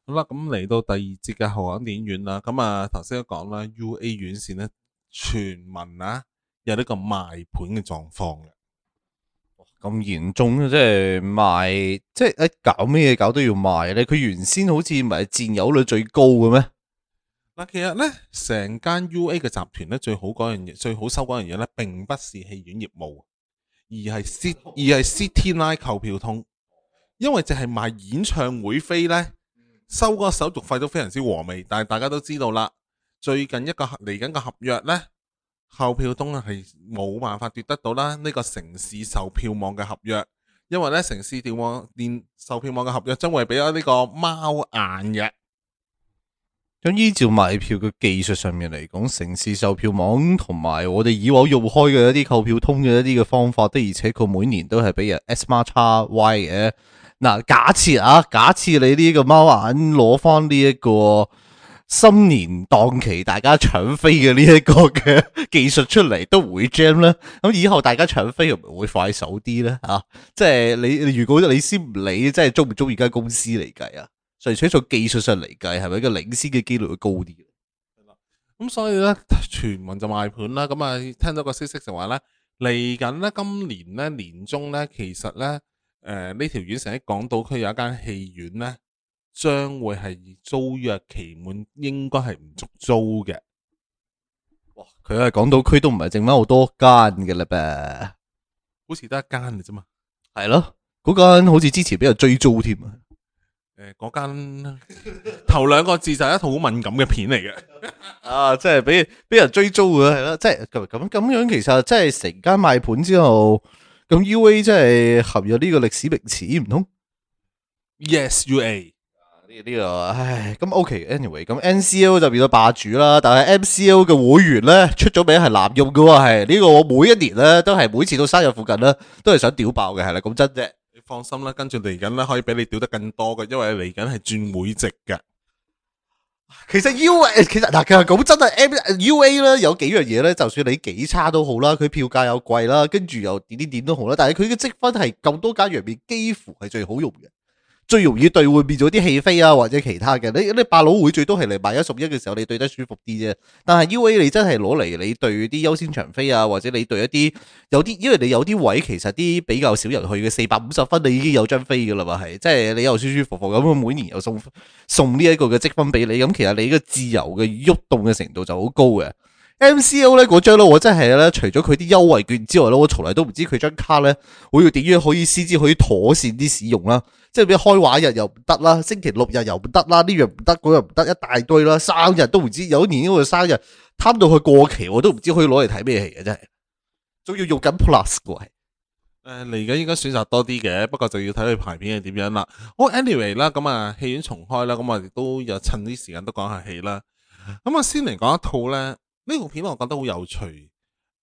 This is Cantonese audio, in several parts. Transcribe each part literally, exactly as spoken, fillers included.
好啦，咁嚟到第二節嘅後港電影院啦，咁啊頭先都講啦，U A 院線咧傳聞啊有呢個賣盤嘅狀況嘅。咁嚴重啊！即係賣，即係誒搞咩嘢搞都要賣咧？佢原先好似唔係佔有率最高嘅咩？嗱，其實咧成間 U A 嘅集團咧最好嗰樣嘢，最好收嗰樣嘢咧，並不是戲院業務，而係 C 而係 City Line 購票通，因為淨係賣演唱會飛咧，收嗰個手續費都非常之和味。但係大家都知道啦，最近一個嚟緊嘅合約咧，購票通係冇辦法奪得到啦呢個城市售票網嘅合約，因為咧城市電網電售票網嘅合約將會俾咗呢個貓眼嘅。咁依照賣票嘅技術上面嚟講，城市售票網同埋我哋以往用開嘅一啲購票通嘅一啲嘅方法，的而且確每年都係俾人 S 孖叉 Y 嘅。嗱，假設啊，假設你呢個貓眼攞翻呢一個新年檔期，大家搶飛嘅呢一個嘅技術出嚟，都唔會 jam 咧。咁以後大家搶飛會唔會快手啲咧？啊，即係你如果你先唔理，即係中唔中意間公司嚟計啊？純粹從技術上嚟計，係咪一個領先嘅機率會高啲？咁所以咧，傳聞就賣盤啦。咁啊，聽到個消息就話咧，嚟緊咧今年咧年中咧，其實咧誒呢條院成喺港島區有一間戲院咧，將會係租約期滿，應該係唔續租嘅。哇！佢係港島區都唔係剩翻好多間嘅啦噃，好似得一間嘅啫嘛。係咯，嗰間好似之前俾人追租添啊！誒，嗰間頭兩個字就係一套好敏感嘅片嚟嘅。啊，即係俾俾人追租嘅係啦，即係咁咁咁樣，其實即係成間賣盤之後，咁 U A 即係合入呢個歷史名詞唔通？Yes U A。呢呢個唉，咁 OK，anyway，咁 N C L 就變咗霸主啦，但係 M C L 嘅會員咧出咗名係濫用嘅喎，係呢個我每一年咧都係每次到生日附近咧都係想屌爆嘅，係啦，講真啫。你放心啦，跟住嚟緊咧可以俾你屌得更多嘅，因為嚟緊係轉會籍嘅。其實 U A 其實嗱，其實講真係 M U A 咧有幾樣嘢咧，就算你幾差都好啦，佢票價又貴啦，跟住又點點點都好啦，但係佢嘅積分係咁多間入面幾乎係最好用嘅。最容易兌換變咗啲戲飛啊，或者其他嘅。你你百老匯最多係嚟買一送一嘅時候，你兌得舒服啲啫。但係 U A 你真係攞嚟你兌啲優先場飛啊，或者你兌一啲有啲，因為你有啲位其實啲比較少人去嘅，四百五十分你已經有張飛噶啦嘛，係即係你又舒舒服服咁，每年又送送呢一個嘅積分俾你，咁其實你個自由嘅喐動嘅程度就好高嘅。M C L 咧嗰張咧，我真係咧，除咗佢啲優惠券之外咧，我從來都唔知佢張卡咧會要點樣可以先至可以妥善啲使用啦。即係俾開畫日又唔得啦，星期六日又唔得啦，呢樣唔得，嗰樣唔得，一大堆啦。生日都唔知，有一年呢個生日貪到佢過期，我都唔知可以攞嚟睇咩戲嘅，真係。仲要用緊 Plus 嘅係。誒，嚟緊應該選擇多啲嘅，不過就要睇佢排片係點樣啦。好，anyway 啦，咁啊戲院重開啦，咁我亦都有趁啲時間都講下戲啦。咁啊先嚟講一套咧，呢套片我覺得好有趣。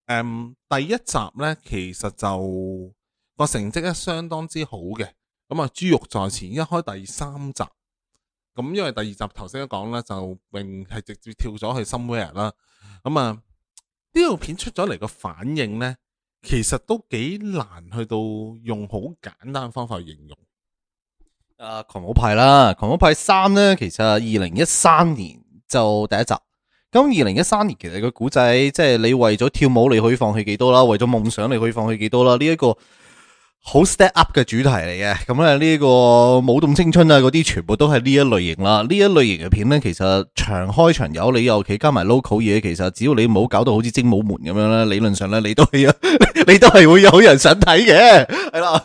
誒，第一集咧其實就個成績咧相當之好嘅。咁啊豬肉在前，一開第三集，咁因為第二集頭先都講啦，就並係直接跳咗去 Somewhere 啦。咁啊呢套片出咗嚟個反應咧，其實都幾難去到用好簡單方法去形容。啊，狂舞派啦，狂舞派三咧，其實二零一三年就第一集。咁二零一三年其實個古仔，即係你為咗跳舞你可以放棄幾多啦，為咗夢想你可以放棄幾多啦，呢、這、一個好 step up 嘅主題嚟嘅。咁咧呢個舞動青春啊嗰啲全部都係呢一類型啦。呢一類型嘅片咧，其實長開長有，你尤其加埋 local 嘢，其實只要你唔好搞到好似精武門咁樣咧，理論上咧你都係你都係會有人想睇嘅，係啦。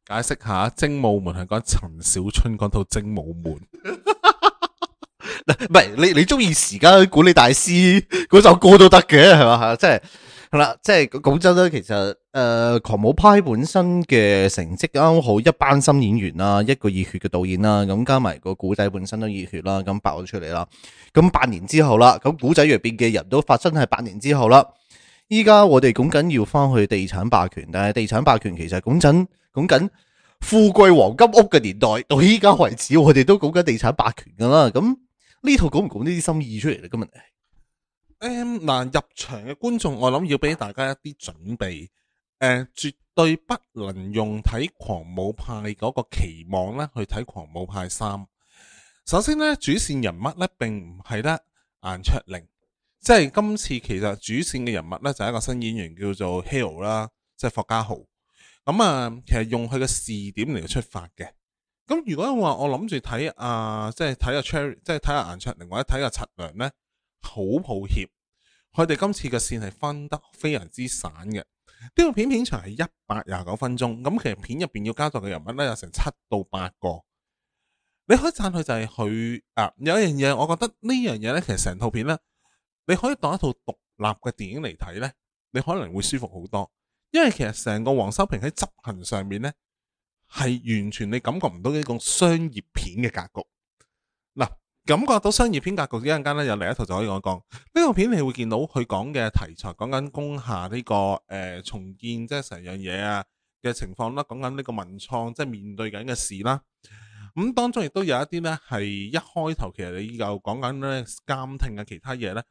解釋下，精武門係講陳小春嗰套精武門。唔係你你中意時間管理大師嗰首歌都得嘅，係嘛？即係係啦，即係講真啦，其實誒、呃、狂舞派本身嘅成績啱好，一班新演員啦，一個熱血嘅導演啦，咁加埋個古仔本身都熱血啦，咁爆咗出嚟啦。咁八年之後啦，咁古仔入邊嘅人都發生係八年之後啦。依家我哋講緊要翻去地產霸權，但係地產霸權其實講真講緊富貴黃金屋嘅年代，到依家為止，我哋都講緊地產霸權噶啦。咁呢套講唔講呢啲心意出嚟咧？今日誒，嗱，入場嘅觀眾，我諗要俾大家一啲準備。誒，絕對不能用睇狂舞派嗰個期望咧去睇狂舞派三。首先咧，主線人物咧並唔係得顏卓靈，即係今次其實主線嘅人物咧就係一個新演員叫做 Hale 啦，即係霍家豪。咁啊，其實用佢嘅視點嚟出發嘅。咁如果話我諗住睇啊，即係睇阿 Cherry，即係睇阿顏卓靈或者睇阿陳良咧，好抱歉，佢哋今次嘅線係分得非常之散嘅。呢套片片長係一百廿九分鐘，咁其實片入邊要交代嘅人物咧有成七到八個。你可以讚佢就係佢啊，有一樣嘢，我覺得呢樣嘢咧，其實成套片咧，你可以當一套獨立嘅電影嚟睇咧，你可能會舒服好多。因為其實成個黃修平喺執行上面咧，係完全你感覺唔到呢種商業片嘅格局。嗱，感覺到商業片格局，一陣間咧有另一套就可以講一講。呢套片你會見到佢講嘅題材，講緊工廈呢個誒、呃、重建，即係成樣嘢啊嘅情況啦，講緊呢個文創即係面對緊嘅事啦。咁、嗯、當中亦都有一啲咧係一開頭其實你又講緊咧監聽啊其他嘢咧，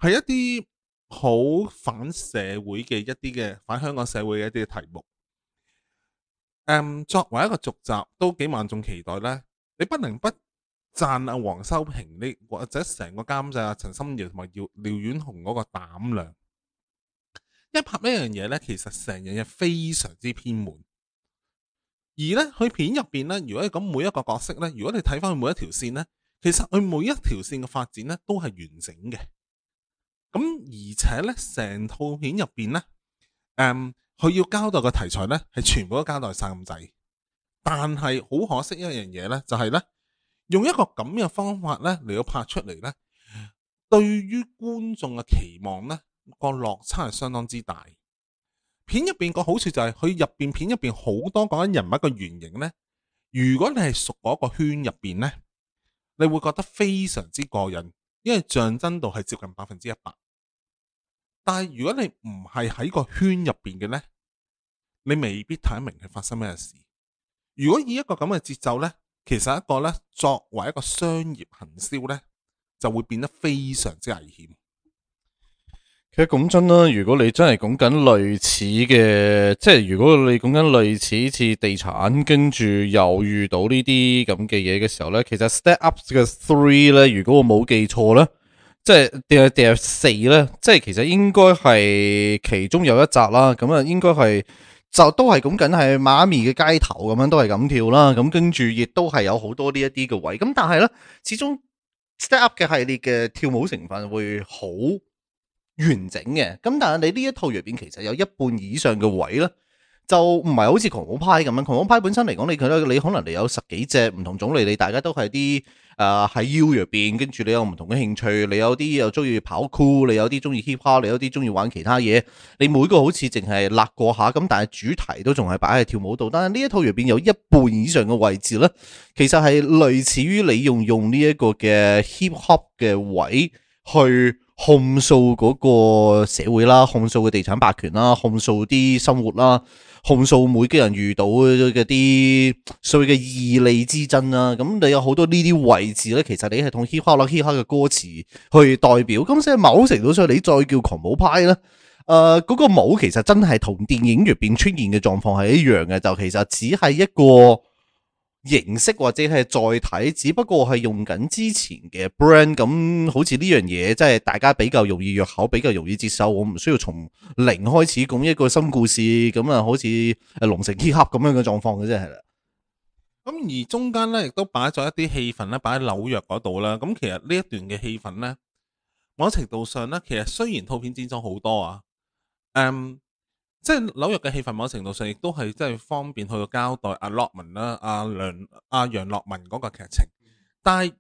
係一啲好反社會嘅一啲嘅反香港社會嘅一啲嘅題目。誒，作為一個續集都幾萬眾期待咧，你不能不讚阿黃修平呢，或者成個監製阿陳心遙同埋廖廖婉紅嗰個膽量。一拍呢樣嘢咧，其實成樣嘢非常之偏門。而咧，佢片入邊咧，如果你講每一個角色咧，如果你睇翻佢每一條線咧，其實佢每一條線嘅發展咧都係完整嘅。咁而且咧，成套片入邊咧，誒、嗯，佢要交代嘅題材咧，係全部都交代晒咁滯。但係好可惜一樣嘢咧，就係、是、咧，用一個咁嘅方法咧嚟到拍出嚟咧，對於觀眾嘅期望咧，個落差係相當之大。片入邊個好處就係佢入邊片入邊好多講緊人物嘅原型呢。如果你係熟嗰個圈入邊呢，你會覺得非常之過癮，因為象真度係接近百分之一百。但係如果你唔係喺個圈入邊嘅呢，你未必睇得明係發生咩事。如果以一個咁嘅節奏呢，其實一個呢作為一個商業行銷呢，就會變得非常之危險。其實講真啦，如果你真係講緊類似嘅，即係如果你講緊類似似地產，跟住又遇到呢啲咁嘅嘢嘅時候咧，其實 Step Up 嘅 Three 咧，如果我冇記錯咧，即係定係定係四咧，即係其實應該係其中有一集啦，咁啊應該係就都係講緊係媽咪嘅街頭咁樣都係咁跳啦，咁跟住亦都係有好多呢一啲嘅位，咁但係咧始終 Step Up 嘅系列嘅跳舞成分會好完整嘅，咁但係你呢一套入邊其實有一半以上嘅位咧，就唔係好似狂舞派咁樣。狂舞派本身嚟講，你覺得你可能你有十幾隻唔同種類，你大家都係啲誒喺 U 入邊，跟住你有唔同嘅興趣，你有啲又中意跑酷，你有啲中意 hip hop，你有啲中意玩其他嘢。你每個好似淨係勒過下咁，但係主題都仲係擺喺跳舞度。但係呢一套入邊有一半以上嘅位置咧，其實係類似於你用用呢一個嘅 hip hop 嘅位去控訴嗰個社會啦，控訴嘅地產霸權啦，控訴啲生活啦，控訴每個人遇到嘅啲所謂嘅義利之爭啦。咁你有好多呢啲位置咧，其實你係同 hip hop 啦 hip hop 嘅歌詞去代表。咁所以某程度上，你再叫狂舞派咧，誒、呃、嗰、那個舞其實真係同電影入邊出現嘅狀況係一樣嘅，就其實只係一個形式或者係載體，只不過係用緊之前嘅 brand， 咁好似呢樣嘢，即係大家比較容易入口，比較容易接受。我唔需要從零開始講一個新故事，咁啊，好似誒龍城 hip hop 咁樣嘅狀況嘅啫，係啦。咁而中間咧，亦都擺咗一啲氣氛咧，擺喺紐約嗰度啦。咁其實呢一段嘅氣氛咧，某程度上咧，其實雖然套片剪咗好多啊，誒、嗯。即係紐約嘅氣氛，某程度上亦都係即係方便去交代阿樂文啦、阿梁、阿楊樂文嗰個劇情。但係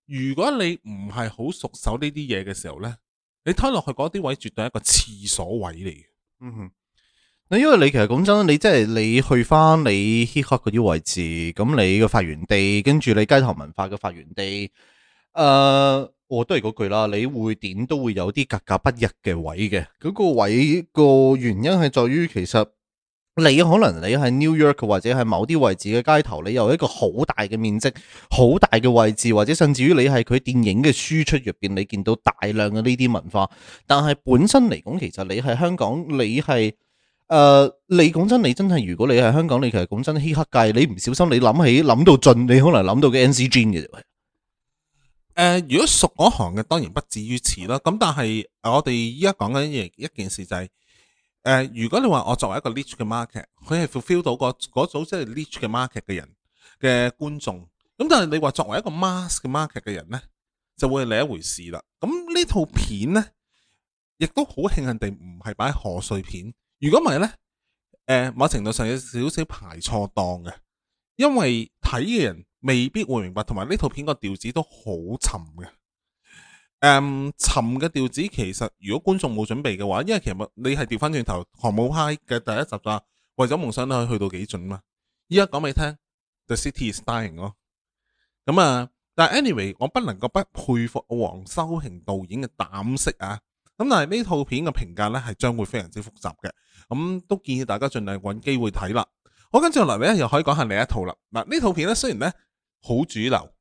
如果你唔係好熟手呢啲嘢嘅時候咧，你睇落去嗰啲位絕對係一個廁所位嚟嘅。嗯哼，嗱，因為你其實講真，你即係你去翻你 hip hop 嗰啲位置，咁你嘅發源地，跟住你街頭文化嘅發源地，誒、呃。我都係嗰句啦，你會點都會有啲格格不入嘅位嘅，嗰、嗰個位個原因係在於其實你可能你喺 New York 或者係某啲位置嘅街頭，你有一個好大嘅面積、好大嘅位置，或者甚至於你係佢電影嘅輸出入邊，你見到大量嘅呢啲文化。但係本身嚟講，其實你係香港，你係誒、呃，你講真，你真係如果你係香港，你其實講真，嘻黑界，你唔小心你諗起諗到盡，你可能諗到嘅 N C G 嘅啫。誒，如果熟嗰行嘅當然不至於此啦。咁但係我哋依家講緊一一件事就係、誒、如果你話我作為一個 niche 嘅 market，佢係 fulfill 到個嗰組即係 niche 嘅 market 嘅人嘅觀眾，咁但係你話作為一個 mass 嘅 market 嘅人呢，就會係另一回事啦。咁呢套片呢，亦都好慶幸地唔係擺賀歲片，如果唔係呢，誒、某程度上有少少排錯檔嘅，因為睇嘅人未必會明白，同埋呢套片個調子都好沉嘅。誒、沉嘅調子其實如果觀眾冇準備嘅話，因為其實你係調翻轉頭，航母派嘅第一集就為咗夢想都可以去到幾盡嘛。依家講俾你聽 ，The City is Dying 咯。咁啊，但係 anyway，我不能夠不佩服黃修平導演嘅膽識啊。咁但係呢套片嘅評價呢係將會非常之複雜嘅，咁都建議大家盡量揾機會睇啦。好，跟住落嚟咧，又可以講下另一套啦。嗱，呢套片咧雖然咧好主流，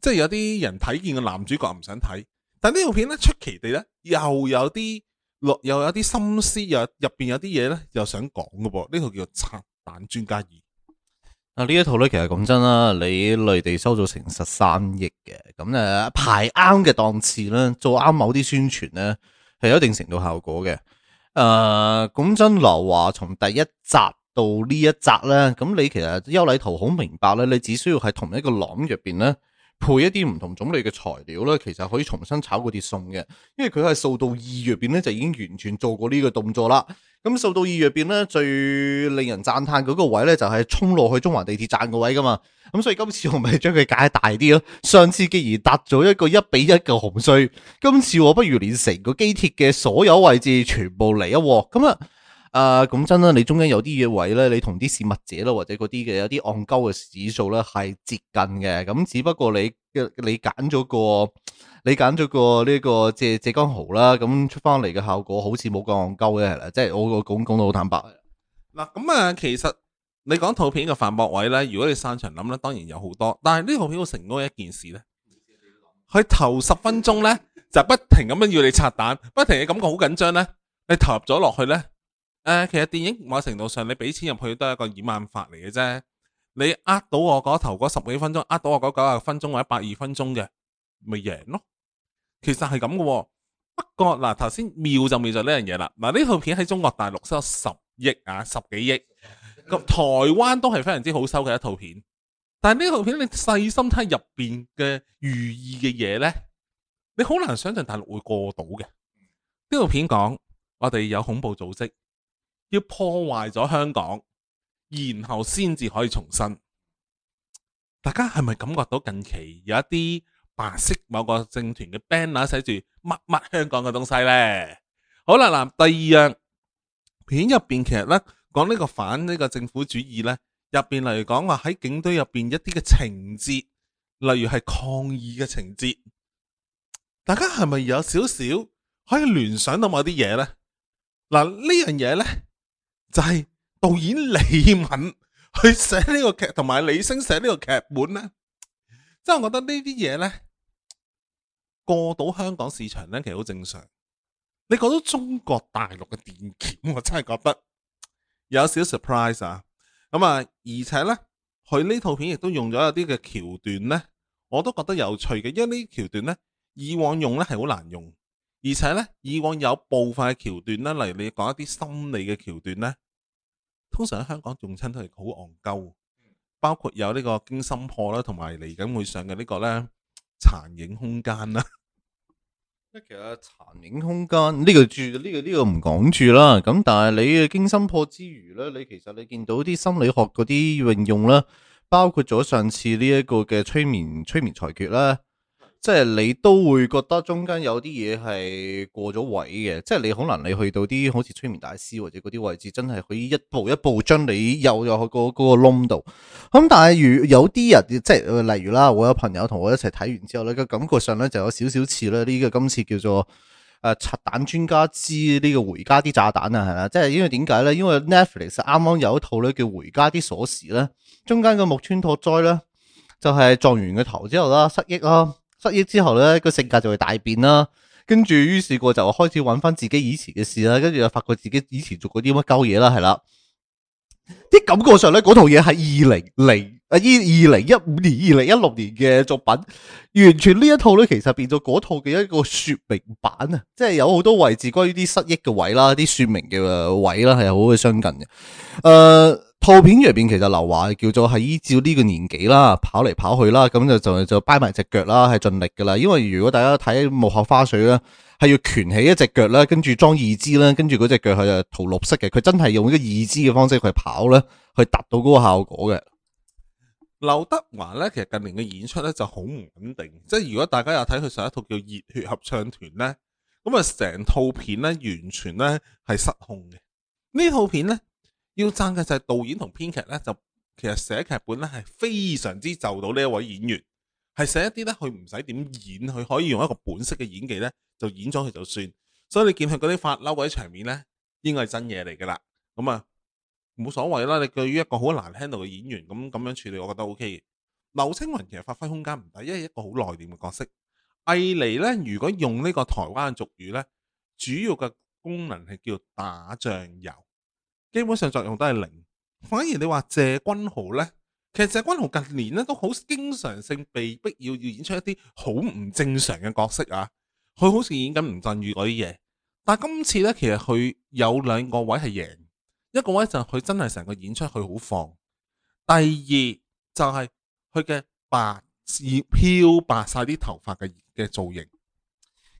即係有啲人睇見個男主角唔想睇，但呢套片咧出奇地咧又有啲落又有啲心思，又入邊有啲嘢咧又想講嘅噃。呢套叫做《拆彈專家二》。啊！呢一套咧，其實講真啦，你內地收咗成十三億嘅，咁誒排啱嘅檔次咧，做啱某啲宣傳咧，係有一定程度效果嘅。誒、呃，講真，劉華從第一集到呢一集咧，咁你其實優禮圖好明白咧，你只需要喺同一個廊入邊咧，配一啲唔同種類嘅材料咧，其實可以重新炒嗰啲餸嘅，因為佢係掃到二入邊咧就已經完全做過呢個動作啦。咁掃到二入邊咧最令人讚嘆嗰個位咧就係衝落去中環地鐵站個位噶嘛，咁所以今次我咪將佢解大啲咯。上次既然搭咗一個一比一嘅紅隧，今次我不如連成個機鐵嘅所有位置全部嚟一鑊。咁啊，誒講真啦，你中間有啲嘢位咧，你同啲事物者啦或者嗰啲嘅有啲戇鳩嘅指數咧係接近嘅，咁只不過你你揀咗個。你揀咗個呢個謝謝江豪啦，咁出翻嚟嘅效果好似冇咁戇鳩嘅係啦，即係我個講講到好坦白。嗱，咁啊，其實你講套片嘅反駁位咧，如果你散場諗咧，當然有好多。但係呢套片好成功嘅一件事咧，佢頭十分鐘咧就不停咁樣要你拆彈，不停嘅感覺好緊張咧，你投入咗落去咧，誒、呃，其實電影某程度上你俾錢入去都係一個掩眼法嚟嘅啫。你呃到我嗰頭嗰十幾分鐘，呃到我嗰九十分鐘或者百二分鐘嘅，咪贏咯。其實係咁嘅，不過嗱，頭先妙就妙就呢樣嘢啦。嗱，呢套片喺中國大陸收十億啊，十幾億，咁台灣都係非常之好收嘅一套片。但係呢套片你細心睇入邊嘅寓意嘅嘢呢，你好難想象大陸會過到嘅。呢套片講我哋有恐怖組織要破壞咗香港，然後先至可以重生。大家係咪感覺到近期有一啲白色某個政團嘅 banner 寫住乜乜香港嘅東西呢？好啦，嗱，第二樣片入邊其實呢講呢個反呢個政府主義呢，入邊嚟講話喺警隊入邊一啲嘅情節，例如係抗議嘅情節，大家係咪有少少可以聯想到某啲嘢呢？嗱，呢樣嘢呢，就係、是、導演李敏去寫呢個劇，同埋李星寫呢個劇本呢。即係我覺得呢啲嘢呢，過到香港市場呢，其實好正常。你過到中國大陸嘅電檢，我真係覺得有少 surprise 啊！咁啊，而且呢，佢呢套片亦都用咗有啲嘅橋段呢，我都覺得有趣嘅。因為呢啲橋段呢，以往用呢係好難用，而且呢，以往有部分嘅橋段呢，例如你講一啲心理嘅橋段呢，通常喺香港用親都係好戇鳩。包括有呢個驚心破啦，同埋嚟緊會上嘅呢個咧殘影空間啦。其實殘影空間呢個住呢個呢個唔講住啦。咁但係你嘅驚心破之餘咧，你其實你見到啲心理學嗰啲運用啦，包括咗上次呢一個嘅催眠催眠裁決啦。即係你都會覺得中間有啲嘢係過咗位嘅，即係你可能你去到啲好似催眠大師或者嗰啲位置，真係可以一步一步將你遊入去嗰嗰個窿度。咁但係如有啲人即係例如啦，我有朋友同我一齊睇完之後咧，個感覺上咧就有少少似咧呢個今次叫做誒拆彈專家之呢個回家啲炸彈啊，係啦，即係因為點解咧？因為 Netflix 啱啱有一套咧叫回家啲鎖匙咧，中間個木村拓哉咧就係撞完個頭之後啦，失憶啦。失憶之後咧，個性格就會大變啦。跟住於是過就開始揾翻自己以前嘅事啦。跟住又發覺自己以前做過啲乜鳩嘢啦，係啦。啲感覺上咧，嗰套嘢係二零零啊，依二零一五年、二零一六年嘅作品，完全呢一套咧，其實變咗嗰套嘅一個說明版啊，即係有好多位置關於啲失憶嘅位啦，啲說明嘅位啦，係好嘅相近嘅。誒、呃，套片入邊其實劉華叫做係依照呢個年紀啦，跑嚟跑去啦，咁就就就掰埋隻腳啦，係盡力噶啦。因為如果大家睇幕後花絮咧，係要拳起一隻腳啦，跟住裝義肢啦，跟住嗰隻腳係就塗綠色嘅，佢真係用一個義肢嘅方式去跑咧，去達到嗰個效果嘅。劉德華咧，其實近年嘅演出咧就好唔穩定，即係如果大家有睇佢上一套叫《熱血合唱團》咧，咁啊成套片咧完全咧係失控嘅。呢套片咧要讚嘅就係導演同編劇咧，就其實寫劇本咧係非常之就到呢一位演員，係寫一啲咧佢唔使點演，佢可以用一個本色嘅演技咧就演咗佢就算。所以你見佢嗰啲發嬲嗰啲場面咧，應該係真嘢嚟噶啦。咁啊〜冇所謂啦，你對於一個好難 handle 嘅演員咁咁樣處理，我覺得 O K 嘅。劉青雲其實發揮空間唔大，因為一個好內斂嘅角色。藝妮呢，如果用呢個台灣嘅俗語呢，主要嘅功能係叫打醬油，基本上作用都係零。反而你話謝君豪呢，其實謝君豪近年呢都好經常性被逼要要演出一啲好唔正常嘅角色啊，佢好似演緊吳鎮宇嗰啲嘢。但係今次呢，其實佢有兩個位係贏。一個位就係佢真係成個演出佢好放，第二就係佢嘅白漂白晒啲頭髮嘅嘅造型。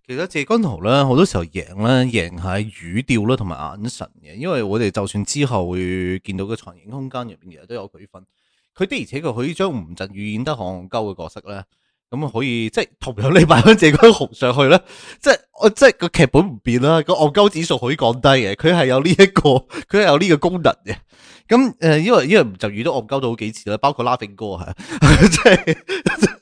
其實謝君豪咧好多時候贏咧贏係語調啦同埋眼神嘅，因為我哋就算之後會見到嘅殘影空間入邊其實都有佢份，佢的而且確可以將吳鎮宇演得戇鳩嘅角色咧。咁可以即係同樣你擺翻謝君豪上去咧，即係我即係個劇本唔變啦，個戇鳩指數可以降低嘅，佢係有呢、這、一個，佢係有呢個功能嘅。咁誒，因為因為就遇到戇鳩到好幾次啦，包括 Laughing 哥係，即係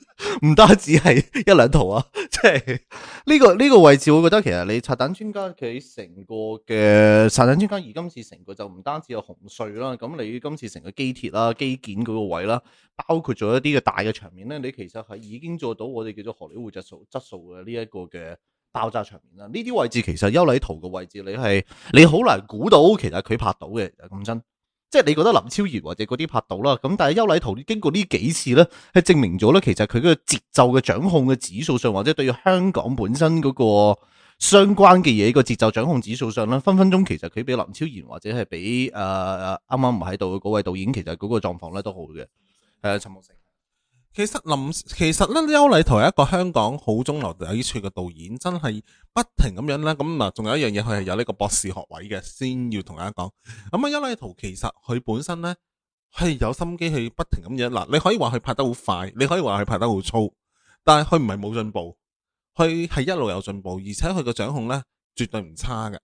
唔單止係一兩套啊，即係呢個呢、這個位置，我覺得其實你拆彈專家佢成個嘅拆彈專家而今次成個就唔單止有紅隧啦，咁你今次成個機鐵啦、基建嗰個位啦，包括咗一啲嘅大嘅場面咧，你其實係已經做到我哋叫做荷里活質素質素嘅呢一個嘅爆炸場面啦。呢啲位置其實邱禮圖嘅位置，你係你好難估到，其實佢拍到嘅，咁真。即係你覺得林超賢或者嗰啲拍到啦，咁但係邱禮圖經過呢幾次咧，係證明咗咧，其實佢嗰個節奏嘅掌控嘅指數上，或者對於香港本身嗰個相關嘅嘢個節奏掌控指數上咧，分分鐘其實佢比林超賢或者係比誒啱啱唔喺度嘅嗰位導演，其實嗰個狀況咧都好嘅。係啊，陳木勝。其實林其實咧，邱禮圖係一個香港好中流砥柱嘅導演，真係不停咁樣咧。咁嗱，仲有一樣嘢，佢係有呢個博士學位嘅，先要同大家講。咁啊，邱禮圖其實佢本身咧係有心機去不停咁樣嗱，你可以話佢拍得好快，你可以話佢拍得好粗，但係佢唔係冇進步，佢係一路有進步，而且佢個掌控咧絕對唔差嘅。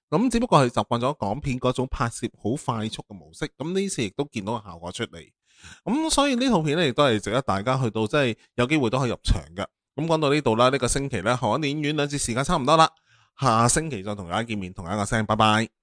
咁只不過係習慣咗港片嗰種拍攝好快速嘅模式，咁呢次亦都見到個效果出嚟。咁所以呢套片咧亦都係值得大家去到，即係有機會都可以入場嘅。咁講到呢度啦，呢個星期咧，海港電影院兩節時間差唔多啦，下星期再同大家見面，同一個聲，拜拜。